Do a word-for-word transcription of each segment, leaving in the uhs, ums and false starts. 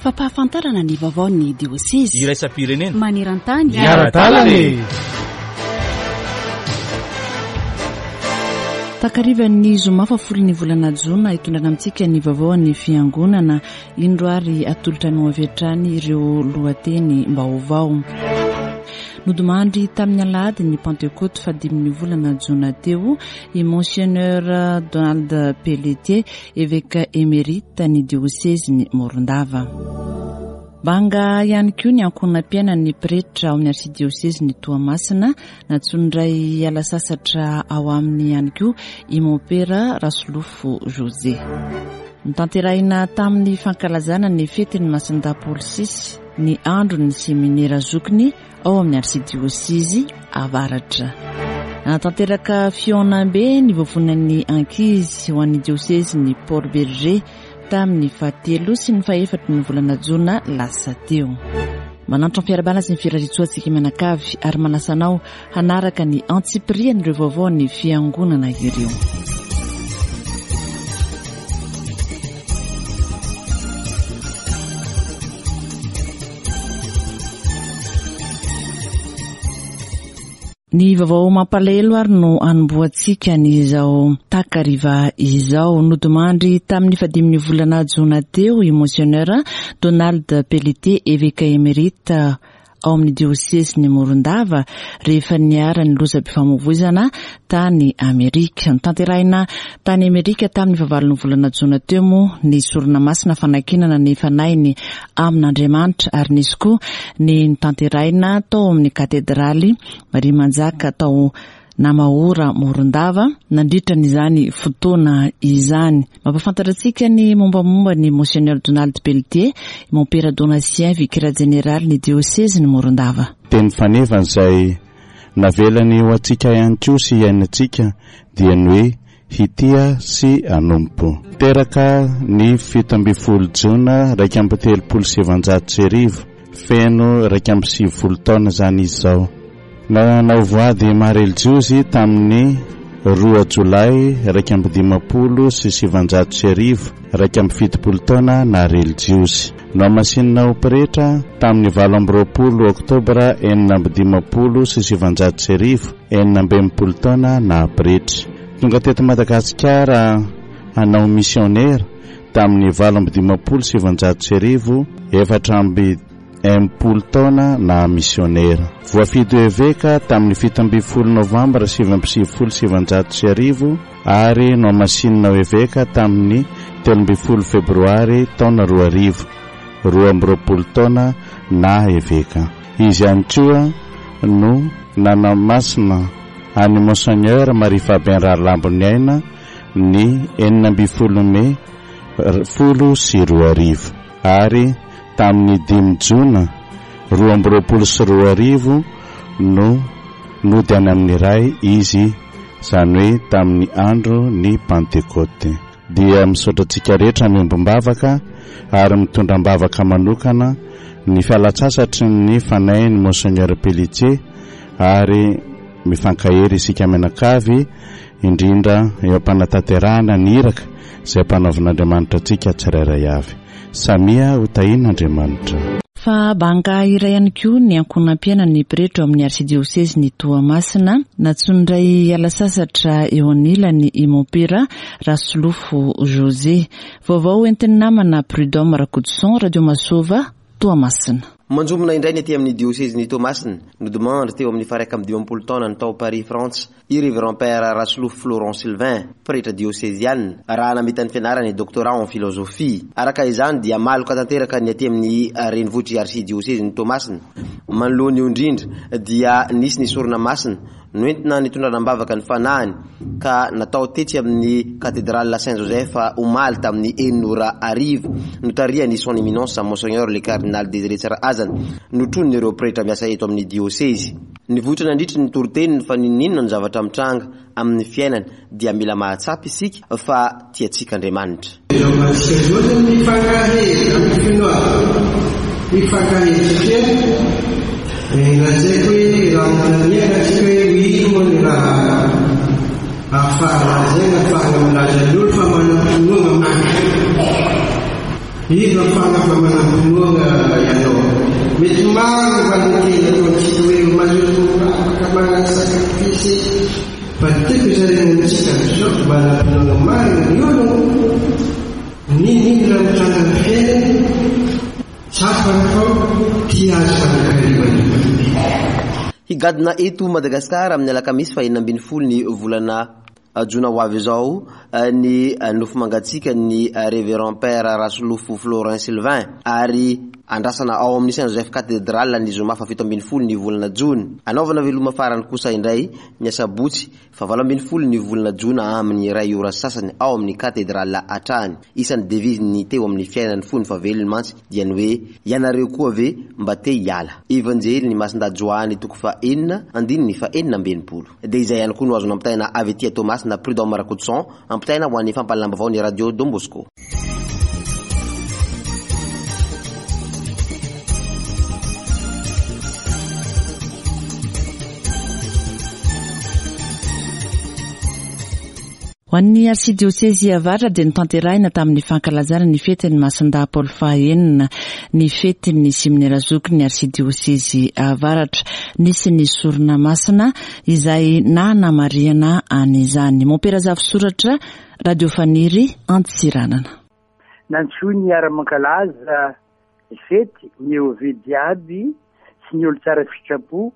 Fampahafantarana ny vaovaon'ny diosezy iraisam-pirenena maneran-tany. Miara-dalana. Takarivan'ny zoma fahafolon'ny volana jona, hitondrana amintsika ny vaovaon'ny fiangonana indro ary atolotra no avy hatrany ireo lohateny vaovao. Nodimandry tamin'ny alahady ny Pantekoty fahadimin'ny volana jona teo i Monseigneur Donald Pelletier, évêque émérite ny diosezin'i Morondava. Banga ihany koa ny ankohonam-piainan'ny pretra ao amin'ny arsidiosezin'i Toamasina. Nantsoin-dray hiala sasatra ao aminy ihany koa i Mompera Rasolofo José. Notanterahina tamin'ny fankalazana ny fetin'ny Masindahy Paoly sisy ny andron'ny seminera zokiny ao amin'ny arsidiosezy Avaratra. Nanatanteraka fihaonambe ny vovonan'ny ankizy ho an'ny diosezin'i Port Bergé tamin'ny fahatelo sy ny fahefatry ny volana jona lasa teo. Manantitra ny fiarahabana sy ny firariantsoa antsika mianakavy ary manasa anao hanaraka ny antsipirian'ireo vaovaon'ny fiangonana ireo. Ny vaovao mampalahelo ary no anombohantsika ny izao takariva izao. Nodimandry tamin'ny fahadimin'ny volana jona teo i Monseigneur Donald Pelletier, évêque émérite ao amin'ny diosezin'i Morondava, rehefa niharan'ny lozam-pifamoivoizana tany Amerika. Notanterahina tany Amerika tamin'ny fahavalon'ny volana jona teo moa ny sorona masina fanankinana ny fanahiny amin'Andriamanitra, ary nisy koa ny notanterahina tao amin'ny katedraly Maria Manjaka tao Namahora Morondava nandritra n'izany fotoana izany. Mampahafantatra antsika ny mombamomba ny Monseigneur Donald Pelletier, Mompera Donatien, vicaire général ny diosezin'i Morondava. Teny fanevany izay navelany ho antsika ihany koa sy iainantsika dia ny hoe hitia sy hanompo. Teraka ny fito ambin'ny folo jona iraika amby telopolo sy sivanjato sy arivo, feno iraika amby sivifolo taona izany izy izao. Nanao voady maha relijiozy tamin'ny roa jolay iraika amby dimampolo sy sivanjato sy arivo, iraika amby fitopolo taona naha relijiozy. Nohamasinina ho pretra tamin'ny valo amby roapolo oktobra enina amby dimampolo sy sivanjato sy arivo, enina amby enimpolo taona naha pretra. Tonga teto Madagasikara hanao misionera tamin'ny valo amby dimampolo sy sivanjato sy arivo, efatra amby enimpolo taona naha misionera. Voafidy ho eveka tamin'ny fito ambin'ny folo novambra sivy amby sivifolo sy sivanjato sy arivo ary nohamasinina ho eveka tamin'ny telo ambin'ny folo febroary taona roa arivo, roa amby roapolo taona naha eveka. Izy ihany koa no nanamasina an'i Monseigneur Marie Fabien Rahalamboniaina ny enina ambin'ny folo mey folo sy roa arivo ary tamin'ny dimy jona roa amby roapolo sy roa arivo no nody any amin'ny Ray izy, izany hoe tamin'ny andro ny Pantekote. Dia misaotra antsika rehetra miombom-bavaka ary mitondra am-bavaka manokana ny fialan-tsasatry ny fanahin'ny Monseigneur Pelletier ary mifankahery isika mianakavy, indrindra eo am-panatanterahana ny iraka izay ampanaovin'Andriamanitra antsika tsirairay avy. Samia ho tahian'Andriamanitra. Fa banga iray ihany koa ny ankohonam-piainan'ny pretra ao amin'ny arsidiosezin'i Toamasina. Nantsoin-dray hiala sasatra eo anilany i Mompera Rasolofo José. Vaovao entin'ny namana Prud'homme Rakotoson, Radio Masova, Toamasina. Manjombona indray ny aty amin'ny diosezin'i Toamasina. Nodimandry teo amin'ny faha iraika amby dimampolo taona ny tao Paris Frantsa i Révérend Père Rasolofo Florent Sylvain, pretra dioseziana, raha namita ny fianarany doctorat en philosophie. Araka izany dia maloka tanteraka ny aty amin'ny renivohitr'i arsidiosezin'i Toamasina. Manoloana io indrindra dia nisy ny sorona masina noentina nitondrana am-bavaka ny fanahiny ka natao tetsy amin'ny cathédrale Saint-Joseph omaly tamin'ny enina ora hariva, notarihan'ny son éminence Monseigneur le cardinal Désiré Tsarahazana, notronon'ireo pretra miasa eto amin'ny diosezy. Nivoitra nandritry ny toriteniny fa n'inon'inona ny zavatra mitranga amin'ny fiainana dia mila mahatsapa isika fa tiantsika Andriamanitra. Lazaiko hoe raha nanontaniana antsika hoe ino moa ny raha ahafahana lazaina, ahafahana milaza ny olo fa manam-pinoana marina. Iza ahafahana fa manam-pinoana? Higadona eto Madagasikara amin'ny alakamisy faha enina ambin'ny folo ny volana jona ho avy izao ny nofo mangatsiaka ny Révérend Père Rasolofo Florin Sylvain, ary andrasana ao amin'ny Saint Joseph Cathédrale ny zoma faha fito ambin'ny folo ny volana jona. Anaovana veloma farany kosa indray ny asabotsy faha valo ambin'ny folo ny volana jona amin'ny iray ora sasany ao amin'ny Cathédrale hatrany. Isan'ny devise ny teo amin'ny fiainany fony fahavelony mantsy dia ny hoe ianareo koa ve mba te hiala. Evanjely ny Masindahy Joany toko faha enina andininy faha enina amby enimpolo. Dia izay ihany koa no azo nampitaina avy aty Toamasina Prud'homme Rakotoson, ampitaina ho an'ny fampahalalam-baovao ny Radio Don Bosco. Ho an'ny arsidiosezy avaratra dia notanterahina tamin'ny fankalazana ny fetin'ny Masindahy Paoly fahaenina ny fetin'ny seminera zoky ny arsidiosezy avaratra. Nisy ny sorona masina izay nanamarihana an'izany. Mompera Zafisoratra, Radio Faniry, Antsiranana. Nantsoiny hiara-mankalaza ny fety ny E O V jiaby sy ny olo tsara sitrapo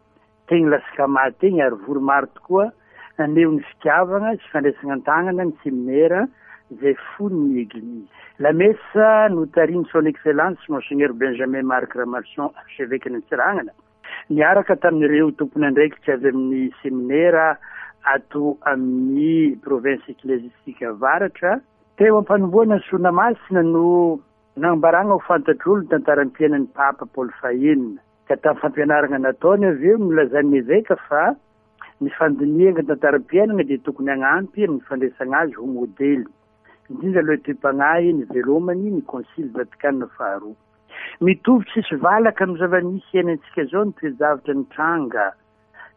teny Lasikama teny, ary vory maro tokoa naneho ny fitiavana sy fandraisana an-tanana ny seminera izay fony ny Eglizy. La messe notarihin'ny Son Excellence Monseigneur Benjamin Marc Ramarson, archevêque Antsiranana, niaraka tamin'ireo tompon'andraikitra avy amin'ny seminera ato amin'ny province ecclésiastique avaratra. Teo am-panombohana ny sorona masina no nambarana ho fantatr'olo ny tantaram-piainan'ny Papa Paoly fahenina. Ka tamin'ny fampianarana nataony avy eo nolazan'ny eveka fa ny fandinihana ny tantaram-piainana dia tokony hanampy amin'ny fandraisana azy ho modely, indrindra aloha toe-panahy ny velomany ny Konsily Vatikana faharoa. Mitovy tsisy valaka amin'ny zava-misy iainantsika izao ny toe-javatra nitranga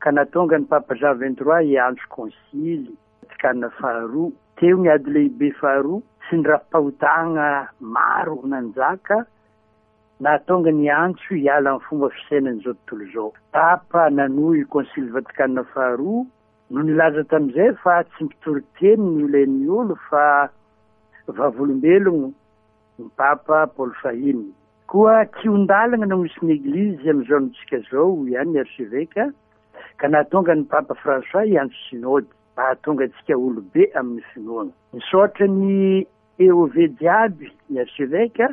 ka nahatonga ny Papa Jean vingt-trois hiantso Konsily Vatikana faharoa. Teo ny ady lehibe faharoa sy ny rafi-pahotana maro nanjaka nahatonga ny antso hiala amin'ny fomba fisainan'izao tontolo izao. Papa nanohy Konsily Vatikana faharoa no nilaza tamin'izay fa tsy mpitory teny ny ilain'ny olo fa vavolombelogno ny Papa Paoly fahiny. Koa kihon-dalana no misy ny Eglizy amin'izao androntsika izao, hoy ihany ny archevêque, ka nahatonga ny Papa François hiantso synode mba hahatonga antsika olobe amin'ny finoana. Misaotra ny E O V jiaby ny archevêque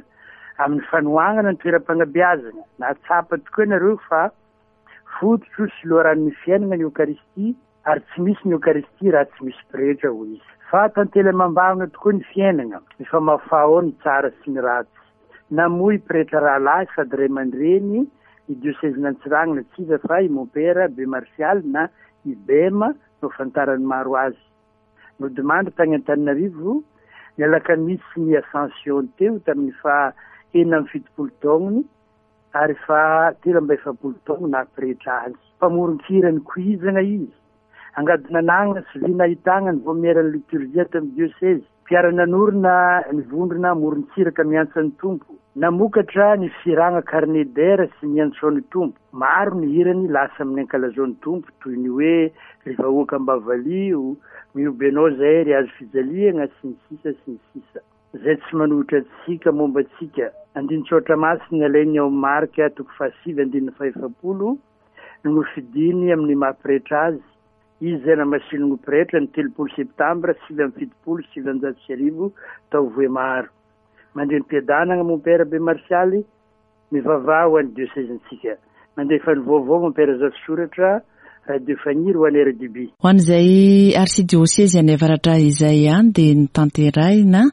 amin'ny fanohanana ny toeram-panabeazana. Nahatsapa tokoa ianareo fa fototro sy loharanon'ny fiainana ny Eokaristia, ary tsy misy ny Eokaristia raha tsy misy pretra, hoy izy. Fa tantely amam-bavana tokoa ny fiainana, mifamahofaho ny tsara sy ny ratsy. Namoy pretra rahalahy sady ray aman-dreny ny diosezin'Antsiranana, tsy iza fa i Mompera Be Martial na i Bema no fantaran'ny maro azy. Nodimandry tany Antananarivo ny alakamisy ny Ascension teo tamin'ny faha enina amby fitopolo taonany ary faha telo amby efapolo taona nahapretra azy. Mpamoron-kira nikoizana izy. Angadona nanana sy vy nahitana ny vaomieran'ny liturgia tamin'ny diosezy. Mpiara-nanorina ny vondrona morontsiraka miantsa ny Tompo. Namokatra ny firana carnet d'air sy ny antsoan'ny Tompo. Maro ny hirany lasa amin'ny ankalazao ny Tompo, toy ny hoe ry vahoaka ambavalio, mihoby anao zahay ry hazo fijaliana sy ny sisa sy ny sisa. Izay tsy manohitra antsika momba antsika. Andinin-tsoratra masina alainy ao amin'ny Marka toko fahasivy andininy fahefapolo no nofidiny amin'ny maha pretra azy. Izy izay namasininy ho pretra ny telopolo septambra sivy amby fitopolo sivanjato sy arivo tao Vohemaro. Mandeha am-piadanana Mompera Be Martialy, mivavaha ho an'ny diosezintsika. Mandefa ny vaovao Mompera Zafisoratra, Radio Faniry ho an'ny R D B. Ho an'izay arsidiosezy any avaratra izay ihany dia notanterahina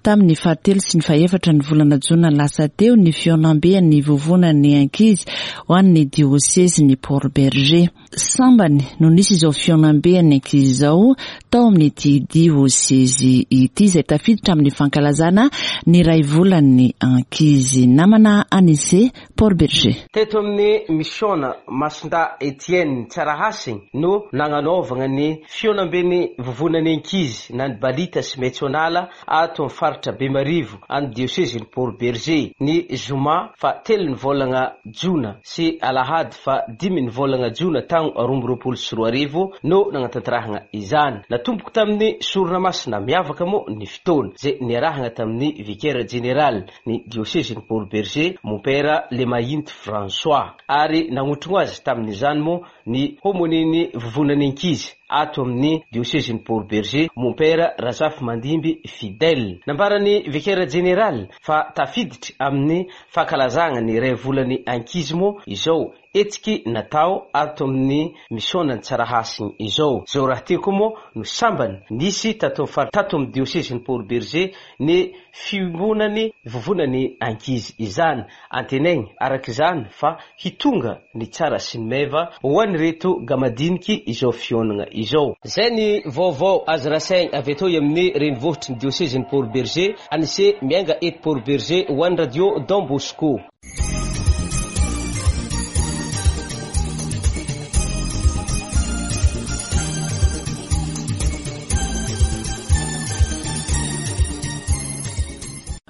tamin'ny fahatelo sy ny fahefatra ny volana jona lasa teo ny fihaonamben'ny vovonan'ny ankizy ho an'ny diosezy ny Port Bergé. Sambany no nisy izao fihaonamben'ny ankizy izao tao amin'ity diosezy ity izay tafiditra amin'ny fankalazana ny iray volan'ny ankizy. Namana Anise, Port Bergé. Teto amin'ny misiona Masindahy Etienne Tsarahasiny no nagnanaovana ny fihaonamben'ny vovonan'ny ankizy na ny balita sy Maitsonala ato amin'ny faritra Bemarivo any diosezin'ny Port Bergé ny zoma fa telo ny volana jona sy alahady fa dimy ny volana jona tagno roa amby roapolo sy roa arivo no nagnatanterahana izany. Natomboko tamin'ny sorona masina miavaka moa ny fotoana izay niarahana tamin'ny vicaire général ny diosezin'ny Port Bergé, Mompera Le Andriamahinty François. Ary nagnotrogno azy tamin'izany moa ny homoniny vovonany ankizy ato amin'ny diosezin'ny Port-Bergé, Mompera Razafimandimby Fidèle. Nambarany vicaire général fa tafiditry amin'ny fankalazana ny iray volany ankizy moa izao hetsiky natao ato amin'ny misionany Tsarahasiny izao. Zao raha ty koa moa no sambany nisy tato amin'ny tato amin'ny diosezin'ny Port-Bergé ny fiombonany vovonany ankizy izany. Antenainy araka izany fa hitonga ny tsara sy ny meva ho an'ireto gamadiniky izao fionana izao. Zay ny vaovao azo rasaigny avy atao amin'ny renivohitry ny diosezin'ny Port-Bergé, anise miainga eto Port-Bergé ho an'ny radio Don Bosco.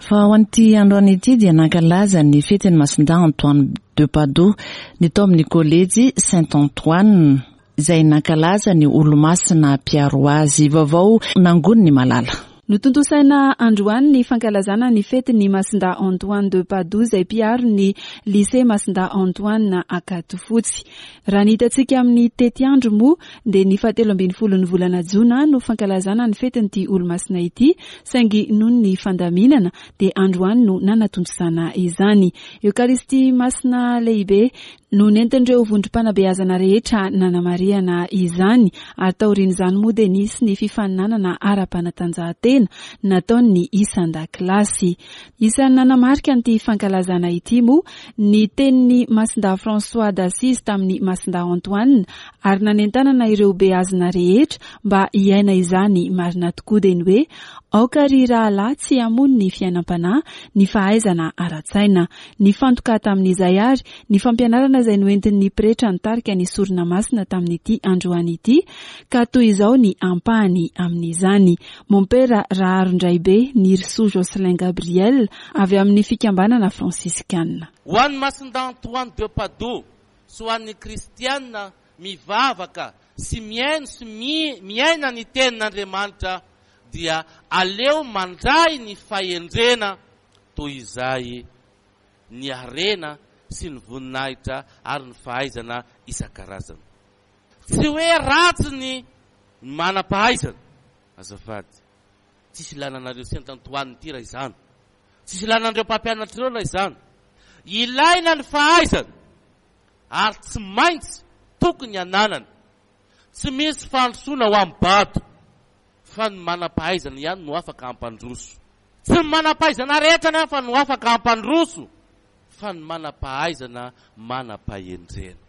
Fa ho an'ity androany ity dia nankalaza ny fetin'ny Masindahy Antoine de Padoue ny tao amin'ny kolejy Saint Antoine, izay nankalaza ny olomasina mpiaro azy. Vaovao nangony ny malala. Notontosaina androany ny fankalazana ny fetin'ny Masindahy Antoine de Padoue, izay mpiaro ny lycée Masindahy Antoine Ankadifotsy. Raha ny hitantsika amin'ny tetiandro moa dia ny fahatelo ambin'ny folon'ny volana jona no fankalazana ny fetin'ity olomasina ity, saingy noho ny fandaminana dia androany no nanatontosana izany. Eokaristia masina lehibe no nentin'ireo vondrom-panabeazana rehetra nanamarihana izany, ary taorian'izany moa dia nisy ny fifaninanana ara-panatanjahantena nataon'ny isan-dakilasy. Isan'ny nanamarika an'ity fankalazana ity moa ny tenin'ny Masindahy François d'Assise tamin'ny Masindahy Antoine, ary nanentanana ireo beazina rehetra mba hiaina izany marina tokoa, dia ny hoe aoka ry rahalahy tsy hamono ny fiainam-panahy ny fahaizana ara-tsaina. Nifantoka tamin'izay ary ny fampianarana izay noentin'ny pretra nitarika ny sorona masina tamin'ity androany ity, ka toy izao ny ampahany amin'izany. Mompera Raharondraibe Nirisoa Jocelyn Gabriel avy amin'ny fikambanana fransiskana. Ho an'ny Masindahy Antoine de Padoue sy ho an'ny kristiana mivavaka sy mihaino sy miaina ny tenin'Andriamanitra dia aleo mandray ny fahendrena toy izay ny harena sy ny voninahitra ary ny fahaizana isan-karazany. Tsy hoe ratsy ny manam-pahaizana, azafady, tsisy ilana anareo Saint Antoine ity raha izany, tsisy ilana an'ireo mpampianatra ireo raha izany. Ilaina ny fahaizana ary tsy maintsy tokony hananana. Tsy misy fandrosoana ho amin'ny bado, fa ny manam-pahaizana ihany no afaka hampandroso. Tsy ny manam-pahaizana rehetra nefa no afaka hampandroso, fa ny manam-pahaizana manam-pahendrena.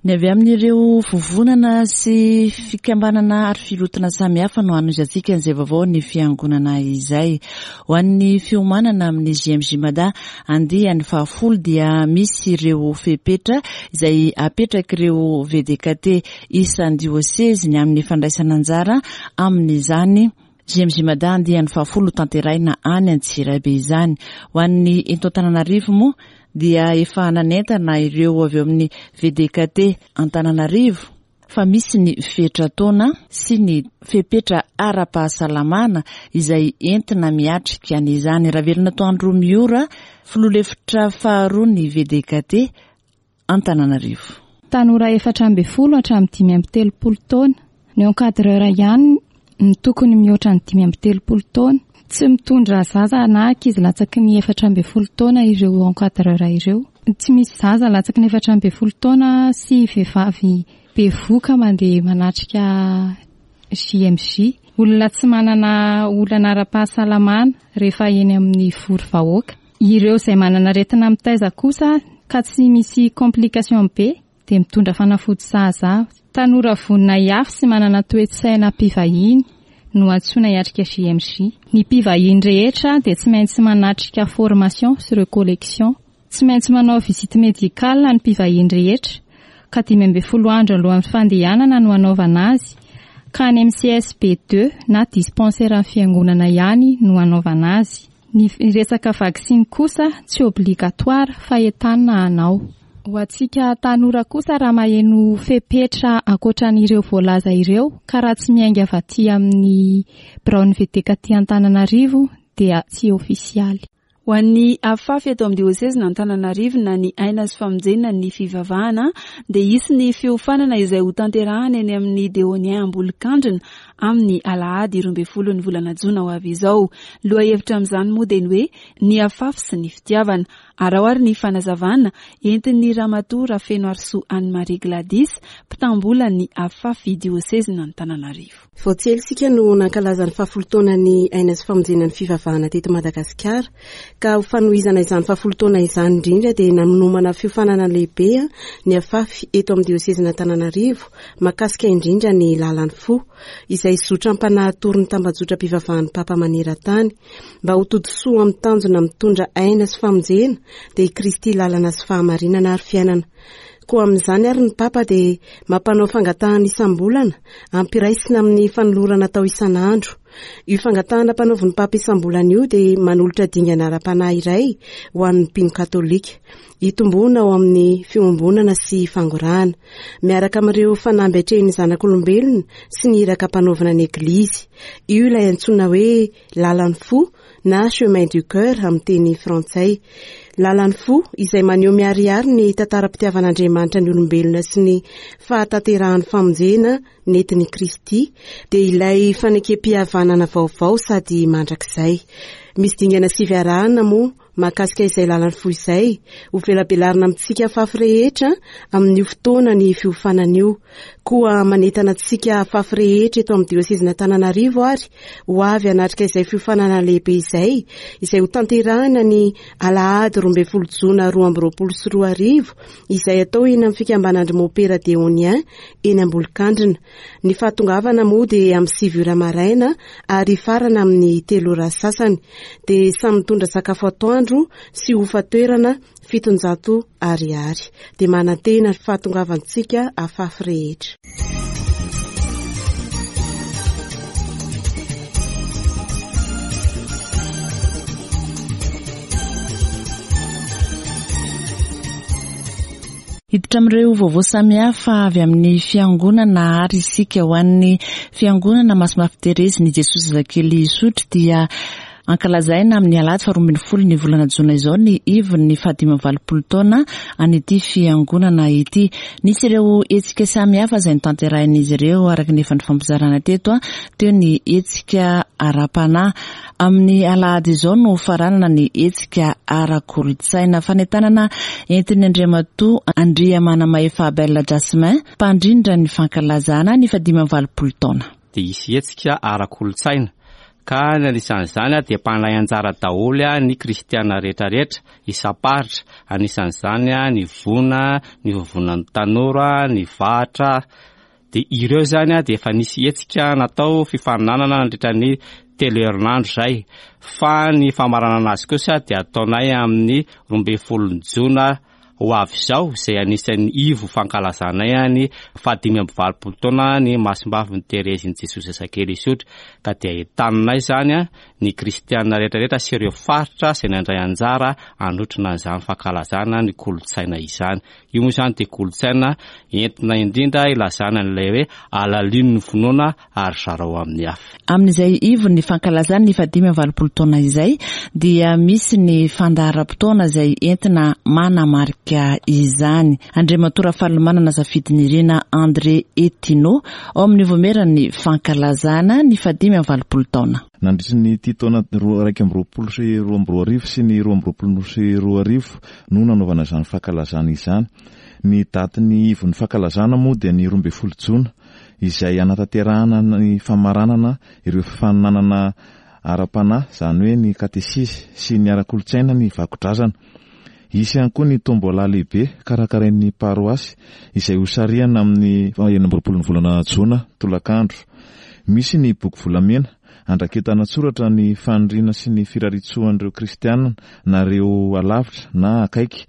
Ny avy amin'ireo vovonana sy fikambanana ary filotina samihafa no hanohizantsika an'izay vaovao ny fiangonana izay. Ho an'ny fiomanana amin'ny J M J Mada andiany fahafolo dia misy ireo fepetra izay apetrak'ireo V D K T isan-diosezy ny amin'ny fandraisana anjara amin'izany J M J Mada andiany fahafolo tanteraina any Antsirabe izany. Ho an'ny eto Antananarivo moa dia efa nanentana ireo avy eo amin'ny V D K T Antananarivo fa misy ny fetra-taona sy ny fepetra ara-pahasalamana izay entina miatrika an'izany. Ravelona Toandro Miora, filoha lefitra faharoa ny V D K T Antananarivo. Tanora efatra amby folo hatramin'ny dimy amby telopolo taona. Ny encadreur ihany no tokony mihoatra ny dimy amby telopolo taona. Tsy mitondra zaza na ankizy latsaky ny efatra amby folo taona ireo encadreur ireo. Tsy misy zaza latsaky ny efatra amby folo taona sy vehivavy bevoka mandeha manatrika J M J. Olona tsy manana olana ara-pahasalamana rehefa eny amin'ny vory vahoaka. Ireo izay manana aretina mitaiza kosa ka tsy misy complication be dia mitondra fanafody sahaza. Tanora vonona hiafy sy manana toe-tsaina mpivahiny no antsoina hiatrika J M J. Ny mpivahiny rehetra dia tsy maintsy manatrika formation sy recollection. Tsy maintsy manao visite médicale ny mpivahiny rehetra ka dimy amby folo andro alohan'ny fandehanana no hanaovana azy, ka any amin'ny C S B deux na dispensaire amin'ny fiangonana ihany no hanaovana azy. Ny resaka vaksiny kosa tsy obligatoire fa entanina hanao. Ho antsika tanora kosa raha maheno fepetra ankoatran'ireo voalaza ireo ka raha tsy miainga avy aty amin'ny biraon'ny V D K aty Antananarivo dia tsy ofisialy. Ho an'ny AFAFY eto amin'ny diosezin'Antananarivo na ny Aina sy Famonjena ny fivavahana dia hisy ny fiofanana izay ho tanterahana eny amin'ny Dehonien Ambolokandrina amin'ny alahady roa ambin'ny folo ny volana jona ho avy izao. Lohahevitra amin'izany moa dia ny hoe ny AFAFY sy ny fitiavana. Araho ary ny fanazavana entin'ny ramatoa Rafenoarisoa Anne Marie Gladys, mpitam-bola ny AFAFY diosezin'Antananarivo. Vao tsy ela isika no nankalaza ny fahafolo taona ny Aina sy Famonjena ny fivavahana teto Madagasikara, ka ho fanohizana izany fahafolo taona izany indrindra dia nanomana fiofanana lehibe ny AFAFY eto amin'ny diosezin'Antananarivo mahakasika indrindra ny lalan'ny fo, izay zotra ampanahy ny tambajotram-pivavahan'ny Papa maneran-tany mba ho todisoa amin'ny tanjona mitondra aina sy famonjena, dia i Kristy lalana sy fahamarinana ary fiainana. Koa amin'izany ary ny Papa dia mampanao fangatahana isam-bolana ampiraisina amin'ny fanolorana atao isan'andro. Io fangatahana ampanaovin'ny Papa isam-bolana io dia manolotra dingana ara-panahy iray ho an'ny mpino katolika hitomboana ao amin'ny fiombonana sy fangorahana miaraka amin'ireo fanamby atrehin'ny zanak'olombelona sy ny iraka ampanaovina ny Eglizy. Io ilay antsoina hoe lalan'ny fo na chemin du cœur amin'ny teny frantsay. Lalan'ny fo izay maneho miharihary ny tantaram-pitiavan'Andriamanitra ny olombelona sy ny fahatanterahan'ny famonjena nentin'i Kristy, dia ilay fanekem-pihavanana vaovao sady mandrakizay. Misy dingana sivy arahana moa mahakasika izay lalan'ny fo izay ho velabelarina amintsika AFAFY rehetra amin'io fotoana ny fiofanana io. Koa manentana antsika AFAFY rehetra eto amin'ny diosezin'Antananarivo ary ho avy hanatrika izay fiofanana lehibe izay, izay ho tanterahina ny alahady roa ambin'ny folo jona roa amby roapolo sy roa arivo, izay atao eny amin'ny fikambanan-dry Mopera Dehonien eny Ambolokandrina. Ny fahatongavana moa dia amin'ny sivy ora maraina ary farana amin'ny telo ora sasany. Dia samy mitondra sakafo atoandro sy hofan-toerana fitonjato ariary. Dia manantena fahatongavantsika AFAFY rehetra. Hiditra amin'ireo vaovao samihafa avy amin'ny fiangonana ary isika. Ho an'ny fiangonana Masimbavy Terezin'i Jesosy Zazakely Isotry dia ankalazaina amin'ny alahady faharoa ambin'ny folo ny volana jona izao ny ivony fahadimy amby valopolo taona an'ity fiangonana ity. Nisy ireo hetsika samihafa izay notanterahin'izy ireo araka ny efa nifampizarana teto a teo ny hetsika ara-panahy. Amin'ny alahady izao no faranana ny hetsika ara-kolotsaina. Fanentanana entin'ny Andriamatoa Andriamanamahefa Abel Jasmin, mpandrindra ny fankalazana ny fahadimy amby valopolo taona. Dia hisy hetsika ara-kolotsaina ka ny anisan'izany a dia mpandray anjara daholo a ny kristiana rehetrarehetra isam-paritra, anisan'izany a ny vona, ny vovonan'ny tanora, ny vahatra. Dia ireo zany a dia efa nisy hetsika natao fifaninanana nandritra ny telo herinandro zay, fa ny famaranana azy kosa dia ataonay amin'ny roa ambin'ny folo jona ho avy izao, izay anisan'ny ivo fankalazanay ny fahadimy amby valopolo taona ny Masimbavy Terezin'i Jesosy Zazakely Isotry, ka dia entaninay zany a ny kristiana rehetrarehetra sy ireo faritra izay nandray anjara anotrona an'izany fankalazana ny kolotsaina izany. Io moa izany dia kolotsaina entina indrindra ilazana an'ilay hoe alalino ny finoana ary zarao amin'ny hafa. Amin'izay ivony fankalazana ny fahadimy amby valopolo taona izay dia misy ny fandaharam-potoana izay entina manamarika izany. Andriamatoa Rafalimanana Zafidinirina André Etino ao amin'ny vaomieran'ny fankalazana ny fahadimy amby valopolo taona. Nandritry ny ty taona roa raika amby roapolo sy roa amby roa arivo sy ny roa amby roapolo sy roa arivo no nanaovana izany fankalazana izany. Ny datin'ny ivon'ny fankalazana moa dia ny roa ambin'ny folo jona, izay anatanterahana ny famaranana ireo fifaninanana ara-panahy, izany hoe ny katesizy sy ny ara-kolotsaina ny vakodrazana. Hisy ihany koa ny tombola lehibe karakarain'ny paroasy izay hosarihana amin'ny enina amby roapolo ny volana jona tolakandro. Misy ny boky volamena andraketana tsoratra ny faniriana sy ny firariantsoan'ireo kristianina na ireo alavitra na akaiky,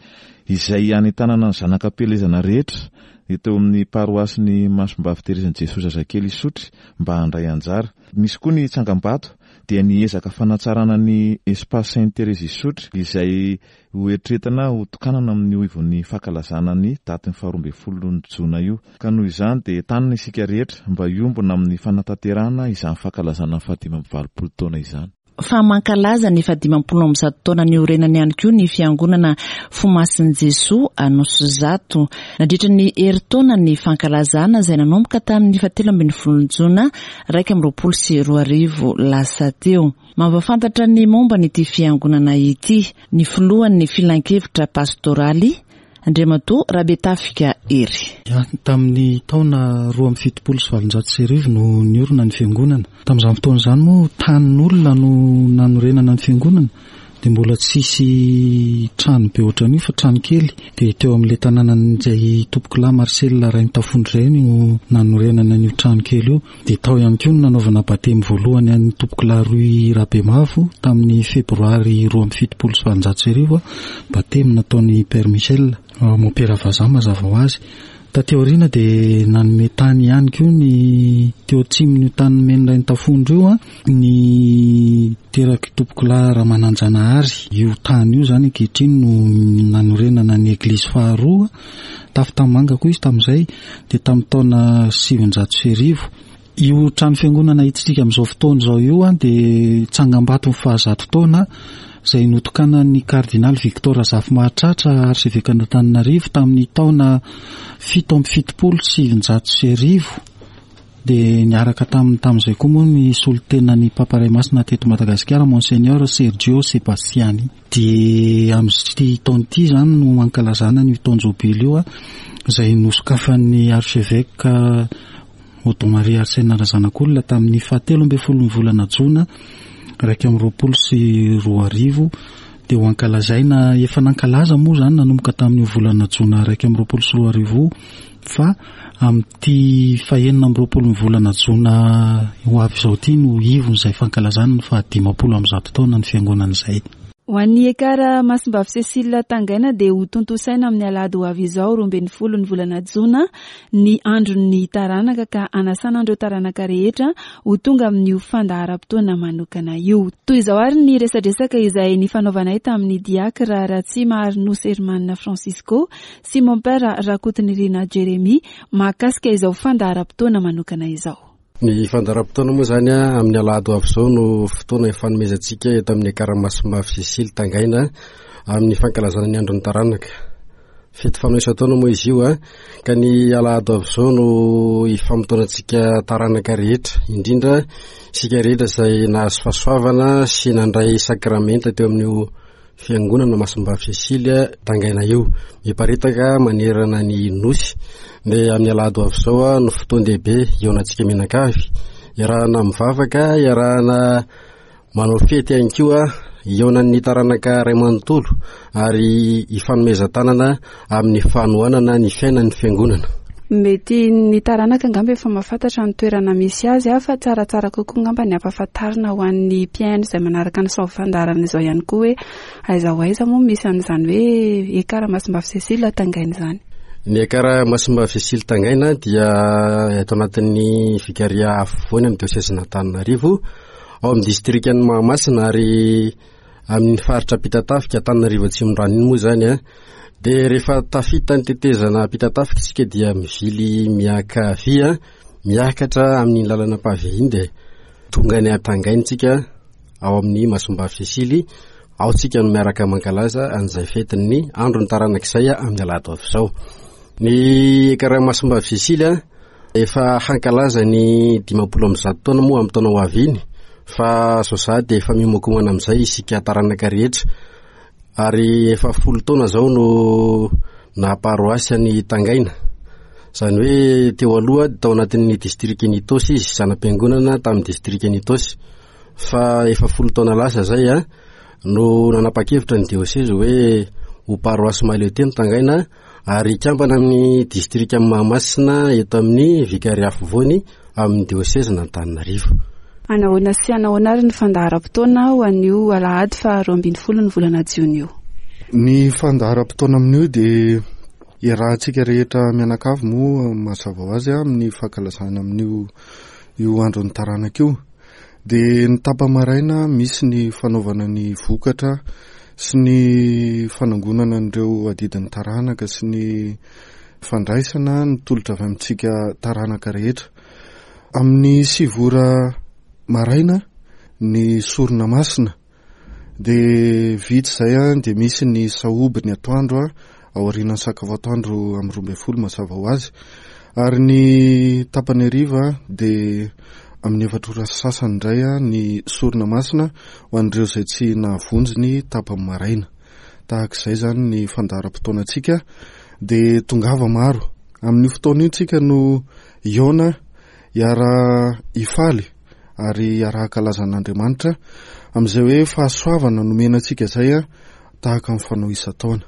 izay anentanana ny zanakam-pielezana rehetra eto amin'ny paroasy ny Masimbavy Terezin'i Jesosy Zazakely Isotry mba handray anjara. Misy koa ny tsangambato dia ny ezaka fanatsarana ny Espace Sainte Thérèse Isotry izay ho eritreretina ho tokanana amin'io ivon'ny fankalazana ny datin'ny faharoa ambin'ny folo jona io. Ka noho izany dia entanina isika rehetra mba hiombona amin'ny fanatanterahana izany fankalazana ny fahadimy amby valopolo taona izany. Fa mankalaza ny fahadimampolo amby zato taona niorenany ihany koa ny fiangonana Fomasin'i Jesoa Anosizato. Nandritra ny herintaona ny fankalazana izay nanomboka tamin'ny fahatelo ambin'ny folo jona iraika amby roapolo sy roa arivo lasa teo. Mampahafantatra ny momba an'ity fiangonana ity ny filohan'ny filankevitra pastoraly Andriamatoa Rabetafika Hery. Tamin'ny taona roa amby fitopolo sy valonjato sy arivo no niorina ny fiangonana. Tamin'izany fotoana izany moa tanin'olona no nanorenana ny fiangonana, dia mbola tsisy trano be ohatran'io fa trano kely. Dia teo amin'ilay tanànan'izay Tompokolahy Marcel Rainitafondro izay no nanorenana an'io trano kely io. Dia tao ihany koa no nanaovana batemy voalohany an'ny Tompokolahy Roy Rabemavo tamin'ny febroary roa amby fitopolo sy valonjato sy arivo, batemy nataon'i Père Michel, mompera vazaha mazava ho azy. Taty aoriana dia nanome tany ihany koa ny teo atsimon'io tany nomen'ny Rainitafondro io, ny teraky Tompokolahy Ramananjanahary. Io tany io izany ankehitriny no nanorenana ny eglizy faharoa, tafo tanimanga koa izy tamin'izay, dia tamin'ny taona sivinjato sy arivo. Io trano fiangonana hitantsika amin'izao fotoana izao io dia tsangambato ny fahazato taona izay notokanan'ny kardinaly Victor Razafimahatratra arsevekan'Antananarivo tamin'ny taona fito amby fitopolo sy sivinjato sy arivo. Dia niaraka taminy tamin'izay koa moa ny solontenan'ny Papa Ray Masina teto Madagasikara, Monseigneur Sergio Sebastiani. Dia amin'ity taona ity izany no ankalazana ny taon-jobily io, izay nosokafan'ny archevêque Odon Marie Arsène Razanakolona tamin'ny fahatelo ambin'ny folo ny volana jona iraika amby roapolo sy roa arivo. Dia ho ankalazaina, efa nankalaza moa izany nanomboka tamin'io volana jona iraika amby roapolo sy roa arivo, fa amin'ity fahenina amby roapolo ny volana jona ho avy izao ity no ivon'izay fankalazana ny fahadimampolo amby zato taona ny fiangonana izay. Ho an'ny Ekara Masimbavy Cécile Tangaina dia ho tontosaina amin'ny alahady ho avy izao roa ambin'ny folo ny volana jona ny andron'ny taranaka, ka anasana an'ireo taranaka rehetra ho tonga amin'io fandaharam-potoana manokana io. Toy izao ary ny resadresaka izay nifanaovanay tamin'ny diakra Ratsimaharinose Hermanina Francisco sy Mompera Rakotonirina Jérémie mahakasika izao fandaharam-potoana manokana izao. Ny fandaharam-potoana moa izany amin'ny alahady ho avy izao no fotoana ifanomezantsika eto amin'ny Ekara Masimbavy Cécile Tangaina amin'ny fankalazana ny andron'ny taranaka. Fety fanao isan-taona moa izy io, ka ny alahady ho avy izao no ifamotoanantsika taranaka rehetra, indrindra isika rehetra izay nahazo fahasoavana sy nandray sakramenta teo amin'io fiangonana Masimbavy Cécile Tangaina io. Miparitaka manerana ny nosy. Dia amin'ny alahady ho avy izao no fotoan-dehibe hihaonantsika mianakavy, iarahana mivavaka, iarahana manao fety ihany koa, hihaonan'ny taranaka ray manontolo ary hifanomezan-tanana amin'ny fanohanana ny fiainan'ny fiangonana. Mety ny taranaka angamba efa mahafantatra ny toerana misy azy, fa tsaratsara kokoa angamba ny ampahafantarina ho an'ny mpihaino izay manaraka ny sao fandaharana izao ihany koa hoe aiza ho aiza moa misy an'izany hoe Ekara Masimbavy Cécile Tangaina izany. Ny Ekara Masimbavy Cécile Tangaina dia eto anatin'ny vikaria afovoany amin'ny diosezin'Antananarivo, ao amin'ny distrikan'i Mahamasina ary amin'ny faritra Ampitatafika Antananarivo Atsimondrano iny moa izany. Dia rehefa tafita ny tetezana Ampitatafika isika dia mivily miakavia, miakatra amin'ny lalana pavé iny, dia tonga any Tangaina isika ao amin'ny Masimbavy Cécile. Ao tsika no miaraka mankalaza an'izay fetin'ny andron'ny taranaka izay amin'ny alahady ho avy izao. Ny Ekara Masimbavy Cécile efa hankalaza ny dimampolo amby zato taona moa amin'ny taona ho avy iny, fa zao sahady dia efa miomakomana amin'izay isika taranaka rehetra. Ary efa folo taona izao no nahaparoasy an'i Tangaina. Izany hoe teo aloha tao anatin'ny distrikan'i Itaosy izy, zana-piangonana tamin'ny distrikan'i Itaosy. Fa efa folo taona lasa izay a no nanapa-kevitra ny diosezy hoe ho paroasy mahaleo tena Tangaina ary hikambana amin'ny distrikan'i Mahamasina eto amin'ny vikaria afovoany amin'ny diosezin'Antananarivo. Anahoana sy anahoana ary ny fandaharam-potoana ho an'io alahady faharoa ambin'ny folo ny volana jiona io? Ny fandaharam-potoana amin'io dia iarahantsika rehetra mianakavy moa mazava ho azy amin'ny fankalazana amin'io io andron'ny taranaka io. Dia ny tapa-maraina misy ny fanaovana ny vokatra sy ny fanangonana an'ireo adidin'ny taranaka sy ny fandraisana ny tolotra avy amintsika taranaka rehetra. Amin'ny sivy ora maraina ny sorona masina. Dia vita izay an, dia misy ny sahoby ny atoandro an, aorianan'ny sakafo atoandro amin'ny roa ambin'ny folo mazava ho azy. Ary ny tapany hariva dia amin'ny efatra ora sy sasany indray an, ny sorona masina ho an'ireo izay tsy nahavonjy ny tapany maraina. Tahaka izay izany ny fandaharam-potoanantsika, dia tongava maro. Amin'io fotoana io tsika no hihaona, hiara-hifaly ary hiara-hankalaza an'Andriamanitra amin'izay hoe fahasoavana nomena antsika izay an, tahaka ny fanao isan-taona.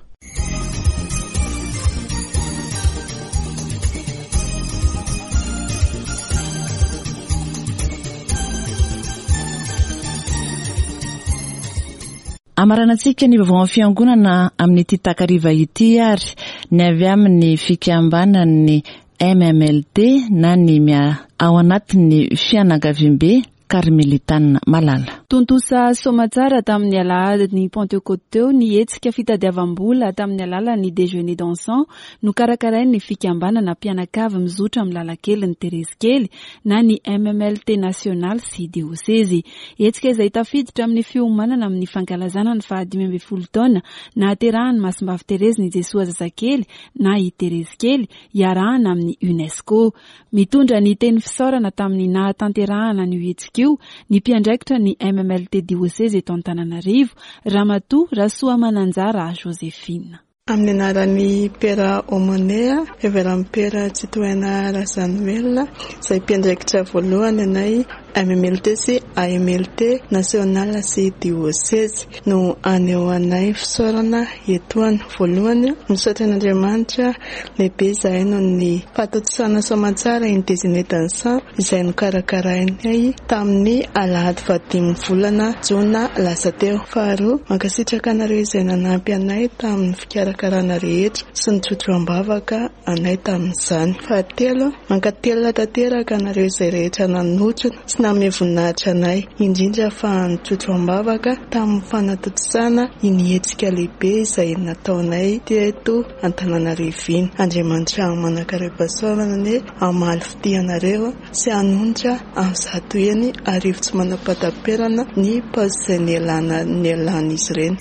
Amaranantsika ny vaovao amin'ny fiangonana amin'ity takariva ity ary ny avy amin'ny fikambanan'ny M M L T na ny mia ao anatin'ny fianakaviambe Karmelitana Malala. Tontosa soamatsara tamin'ny alahadin'ny Pentecôte teo ny hetsika fitadiavam-bola tamin'ny alalan'ny déjeuner dansant nokarakarain'ny fikambanana mpianakavy mizotra amin'ny lalankelin'ny Terezy Kely na ny M M L T nasionaly sy diosezy. Hetsika izay tafiditra amin'ny fiomanana amin'ny fankalazana ny fahadimy ambin'ny folo taona nahaterahan'ny Masimbavy Terezy ny Jesoa zazakely na i Terezy Kely iarahana amin'ny UNESCO. Mitondra ny teny fisaorana tamin'ny nahatanterahana an'io hetsika io ny mpiandraikitra ny M M L T diosezy eto Antananarivo, Ramatoa Rasoamananjara Josephine. Amin'ny anaran'ny Pera Omonea, Reverend Pera Tsitohaina Razanoelina, izay mpiandraikitra voalohany anay M M L T sy A M L T national sy diosezy no anehoanay fisaorana etoana. Voalohany, misaotra an'Andriamanitra lehibe izahay noho ny fahatontosana soamantsara iny déjeuner dansant izay nokarakarainay tamin'ny alahady fahadimy volana jona lasa teo. Faharoa, mankasitraka anareo izay nanampy anay tamin'ny fikarakarana rehetra sy ny tsotro-ambavaka anay tamin'izany. Fahatelo, mankatelina tanteraka anareo izay rehetra nanotrona sy nanome voninahitra anay, indrindra fa ny tsotro-ambavaka tamin'ny fanatontosana iny hetsika lehibe izay nataonay teto Antananarivo iny. Andriamanitra manan-karem-pahasoavana anie hamaly fitia anareo sy hanonitra amin'ny zato heny arivo tsy manam-pahataperana ny paosy izay nialana, nialan'izy ireny.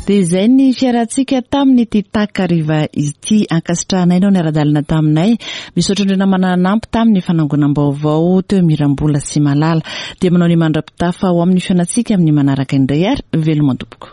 Dia izay ny fiarantsika tamin'ity takariva ity. Ankasitrahanay nao niara-dalana taminay. Misaotra indrindra namana nanampy tamin'ny fanangonam-baovao teo Mirambola sy Malala. Dia manao ny mandra-pitafa ho amin'ny fiainantsika amin'ny manaraka indray ary veloma tompoko.